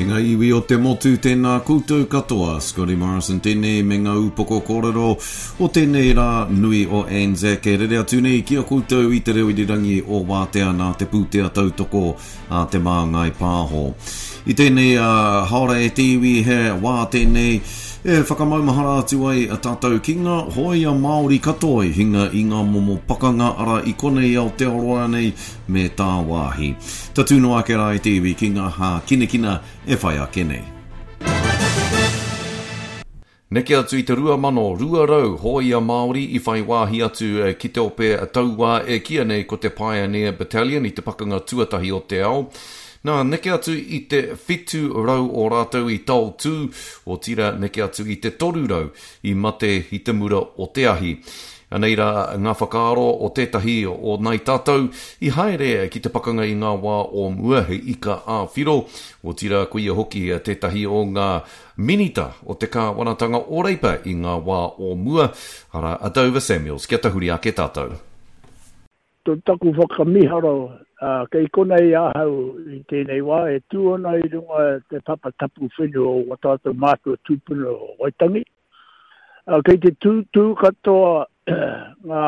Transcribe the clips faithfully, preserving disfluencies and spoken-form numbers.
E ngā iwi o te motu, tēnā koutou katoa. Scotty Morrison tēnei me ngā upoko kōrero o tēnei rā nui o Anzac e rere atu nei ki a koutou i te reo irirangi o Wātea nā te pūtea tautoko a Te Māngai Pāho. I tēnei uh, haora e te iwi he wā tēnei e whakamaumahara atu ai a tātou ki ngā hōia Māori katoa i hinga i ngā momo pakanga ara i konei Aotearoa nei me tāwāhi. Tatū noa ake rā e te iwi ki ngā hākinakina e whai ake nei. Neke atu i te rua mano rua rau hōia Māori i whai wāhi atu ki te ope tauā e kīia nei ko te Pioneer Battalion i te pakanga tuatahi o te ao. Nā, neke atu i te whitu rau o rātou i taotū, otirā neke atu i te toru rau i mate i te mura o te ahi. Anei rā ngā whakaaro o tētahi o nai tātou i haere ki te pakanga i ngā wā o mua he ika ā-whiro, otirā ko ia hoki tētahi o ngā minita o te kāwanatanga o Reipa i ngā wā o mua, arā a Dover Samuels. Kia tahuri ake tātou. Tō taku whakamiharo, uh, kei konei ahau i tēnei wā, e tū ana i runga te papa tapu whenua o wā tātou mātua tūpuna o Waitangi. Uh, kei te tūtū katoa ngā,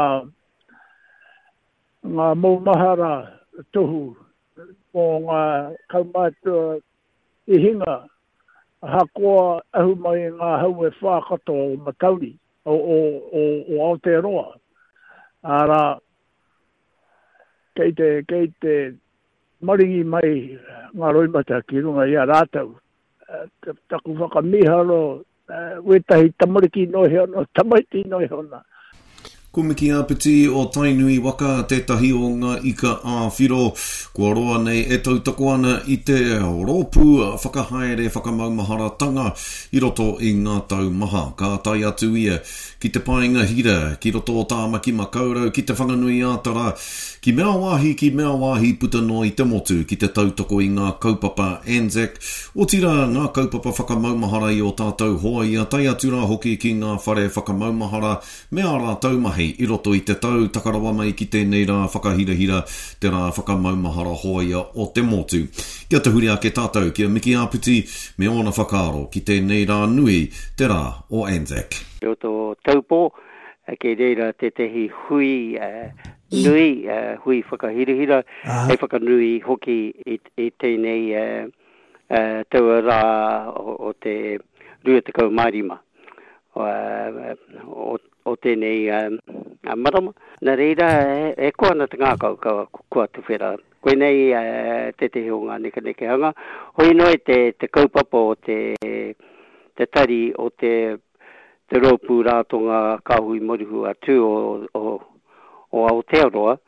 ngā maumahara tohu mō ngā kaumātua i hinga, ahakoa ahu mai i ngā hau e whā katoa o Matauri, o, o, o, o Aotearoa. Arā, kei te, kei te maringi mai ngā roimata ki runga i a rātou. Taku whakamiharo, wētahi tamariki noa iho ana, tamaiti noa iho ana. Ko Miki Āpiti o Tainui waka tētahi o ngā ika ā-whiro kua roa nei e tautoko ana i te rōpū whakahaere whakamaumaharatanga i roto i ngā tau maha. Ka tae atu ia ki te paenga hira, ki roto o Tāmaki Makaurau, ki te Whanganui-ā-Tara, ki mea wāhi, ki mea wāhi puta noa i te motu, ki te tautoko i ngā kaupapa Anzac, otirā ngā kaupapa whakamaumahara i ō tātou hoa ia, tae atu rā hoki ki ngā whare whakamaumahara me ā rātou mahi i roto i te tau taka rawa mai ki tēnei rā whakahirahira, te rā whakamaumahara hōia o te motu. Kia tahuri ake tātou ki a Miki Āpiti me ōna whakaaro ki tēnei rā nui, te rā o Anzac. I roto o Taupō, kei reira tētehi hui nui, hui whakahirahira, hei whakanui hoki i tēnei taua rā o te rua tekau mā rima o tēnei marama. Nā reira, e koa ana te ngākau kua tuwhera. Koinei tētehi o ngā nekenekehanga. Hoi noa te kaupapa o te tari o te Rōpū Ratonga Kāhui Moruhu a Tū o Aotearoa.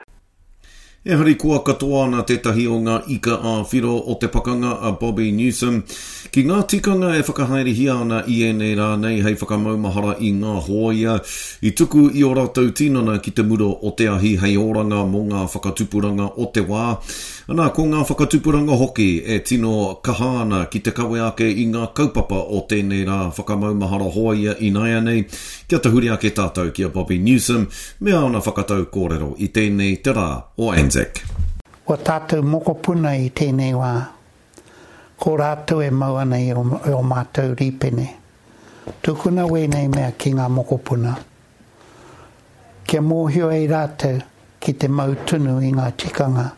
E harikoa katoa ana tētahi o ngā ika ā-whiro o te pakanga a Bobby Newsome ki ngā tikanga e whakahaerehia ana i ēnei rā nei hei whakamaumahara i ngā hōia i tuku i ō rātou tinana ki te mura o te ahi hei oranga mō ngā whakatupuranga o te wā. Ana, ko ngā whakatupuranga hoki e tino kaha ana ki te kawe ake i ngā kaupapa o tēnei rā whakamaumahara hōia ināianei. Kia tahuri ake tātou ki a Bobby Newsome me āna whakatau kōrero i tēnei te rā o Anzac. Wa tātou mokopuna i tēnei wā, ko rātou e mau ana i o mātou rīpene. Tukuna wēnei mea ki ngā mokopuna. Kia mōhio ai rātou ki te mau tunu i ngā tikanga.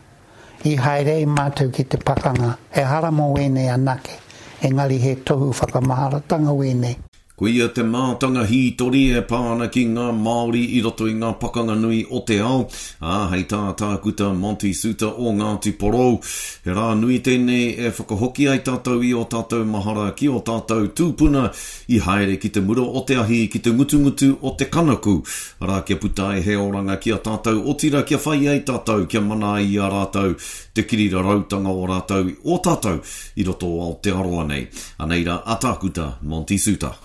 I haere ai mātou ki te pakanga, ehara mō wēnei anake, engari he tohu whakamaharatanga wēnei. Ko ia te mātanga hītori e pā ana ki ngā Māori i roto i ngā pakanga nui o te ao, ā, hei tā Tākuta Monty Suter o Ngāti Porou, he rā nui tēnei e whakahoki ai tātou i ō tātou mahara ki ō tātou tūpuna i haere ki te mura o te ahi, ki te ngutungutu o te kanaku, arā kia puta ai he oranga ki a tātou, otirā kia whai ai tātou, kia mana ai i a rātou te kirirarautanga o rātou, o tātou i roto o Aotearoa nei. Anei rā a Tākuta Monty Suter.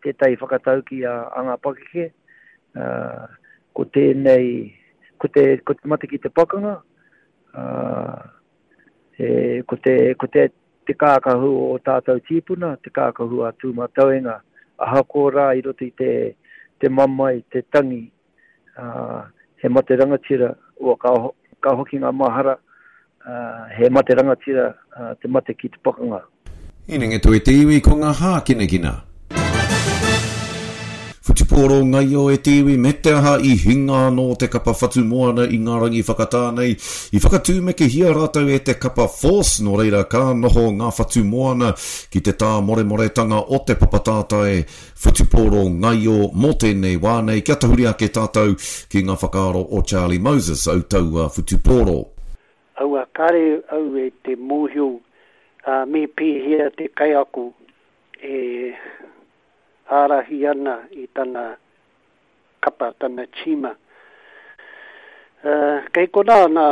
Tētahi whakatauki a, a ngā pakeke, uh, ko tēnei, ko te, ko te mate ki te pakanga, uh, e, ko te, ko te, te kākahu o tātou tīpuna, te kākahu a Tūmatauenga, ahakoa rā i roto i te, te mamae, te tangi, uh, he mate rangatira, ua ka, ka hoki ngā mahara, uh, he mate rangatira uh, te mate ki te pakanga. Inengeto e te iwi ko ngā hākinakina. Whutupōro ngaio e te iwi me te aha i hinga anō te kapa Whatumoana i ngā rangi whakatā nei. I whakatūmekehia rātou e te kapa Force, nō reira ka noho ngā Whatumoana ki te tāmoremoretanga o te papa tātai whutupōro ngaio mō tēnei wā nei. Kia tahuri ake tātou ki ngā whakaaro o Charlie Moses, au taua whutupōro. Aua kare au e te mōhio uh, me pēhea te kaiako e ārahi ana i tana kapa, tana tīma. Uh, kei konā nā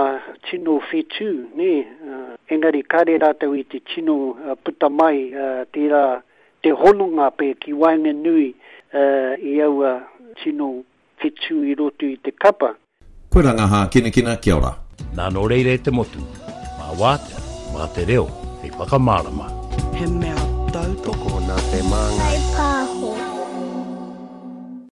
tino whetū, nē, uh, engari kare rātou i te tino uh, puta mai uh, tērā te hononga pē ki waenganui uh, i aua tino whetū i roto i te kapa. Koe rā ngā hākinakina, kia ora. Nā nō reira e te motu, mā wātea, mā te reo, hei whakamārama. He mea tautoko Tokona te māngai.